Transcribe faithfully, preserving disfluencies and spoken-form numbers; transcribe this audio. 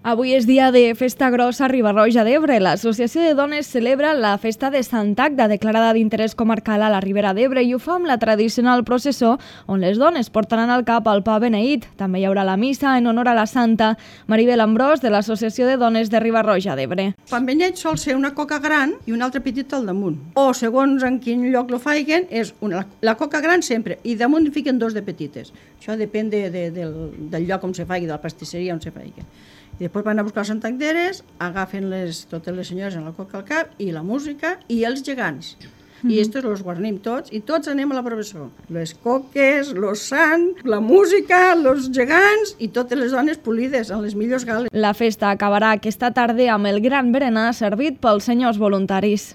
Avui és dia de festa grossa a Riba-roja d'Ebre. L'Associació de Dones celebra la festa de Sant Agda, declarada d'interès comarcal a la Ribera d'Ebre, i ho fa amb la tradicional processó on les dones portaran al cap el pa beneït. També hi haurà la missa en honor a la santa. Maribel Ambrós, de l'Associació de Dones de Riba-roja d'Ebre. El pa beneït sol ser una coca gran i una altra petita al damunt. O, segons en quin lloc lo faiguen, és una, la coca gran sempre, i damunt fiquen dos de petites. Això depèn de, de, del, del lloc on se faigui, de la pastisseria on se faigui. I després van a buscar les santagderes, agafen les, totes les senyores en la coca al cap, i la música, i els gegants. I estos los guarnim tots, i tots anem a la processó. Les coques, los sants, la música, los gegants, i totes les dones polides, en les millors gales. La festa acabarà aquesta tarda amb el gran berenar servit pels senyors voluntaris.